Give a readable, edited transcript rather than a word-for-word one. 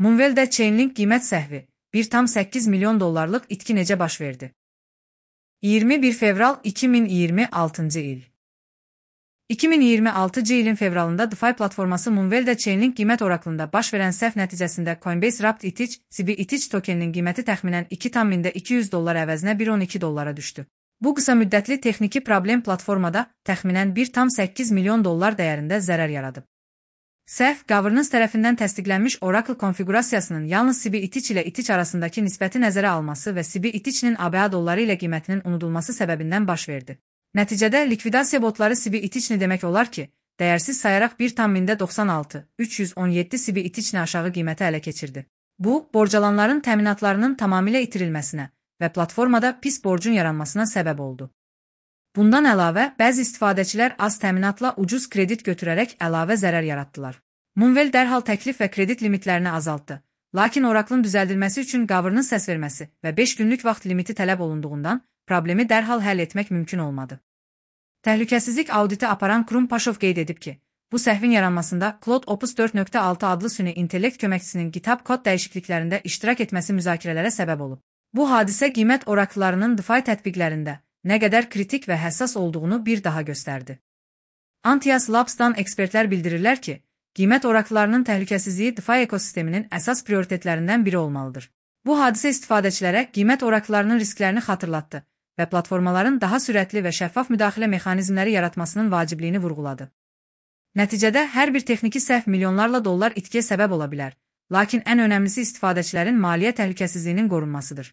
Moonwell-də Chainlink qiymət səhvi, 1,8 milyon dollarlıq itki necə baş verdi? 21 fevral 2026-cı il. 2026-cı ilin fevralında DeFi platforması Moonwell-də Chainlink qiymət oraklında baş verən səhv nəticəsində Coinbase Wrapped ETH, CB ETH tokeninin qiyməti təxminən 2,200 dollar əvəzinə 1,12 dollara düşdü. Bu qısa müddətli texniki problem platformada təxminən 1,8 milyon dollar dəyərində zərər yaradıb. Səhv, Governance tərəfindən təsdiqlənmiş Oracle konfiqurasiyasının yalnız CB ETH ilə ETH arasındakı nisbəti nəzərə alması və CB ETH-nin ABA dolları ilə qiymətinin unudulması səbəbindən baş verdi. Nəticədə likvidasiya botları CB ETH-ni demək olar ki, dəyərsiz sayaraq 1,96,317 CB ETH-ni aşağı qiymətə ələ keçirdi. Bu, borcalanların təminatlarının tamamilə itirilməsinə və platformada pis borcun yaranmasına səbəb oldu. Bundan əlavə, bəzi istifadəçilər az təminatla ucuz kredit götürərək əlavə zərər yaratdılar. Moonwell dərhal təklif və kredit limitlərini azaltdı. Lakin Oracle'ın düzəldilməsi üçün Governance səs verməsi və 5 günlük vaxt limiti tələb olunduğundan, problemi dərhal həll etmək mümkün olmadı. Təhlükəsizlik auditi aparan Kurum Paşov qeyd edib ki, bu səhvin yaranmasında Claude Opus 4.6 adlı süni intellekt köməkçisinin GitHub kod dəyişikliklərində iştirak etməsi müzakirələrə səbəb olub. Bu hadisə qiymət oraqlarının DeFi tətbiqlərində nə qədər kritik və həssas olduğunu bir daha göstərdi. Antias Labs-dan ekspertlər bildirirlər ki, qiymət oraqlarının təhlükəsizliyi DeFi ekosisteminin əsas prioritetlərindən biri olmalıdır. Bu hadisə istifadəçilərə qiymət oraqlarının risklərini xatırlatdı və platformaların daha sürətli və şəffaf müdaxilə mexanizmləri yaratmasının vacibliyini vurğuladı. Nəticədə hər bir texniki səhv milyonlarla dollar itkiyə səbəb ola bilər, lakin ən önəmlisi istifadəçilərin maliyyə təhlükəsizliyinin qorunmasıdır.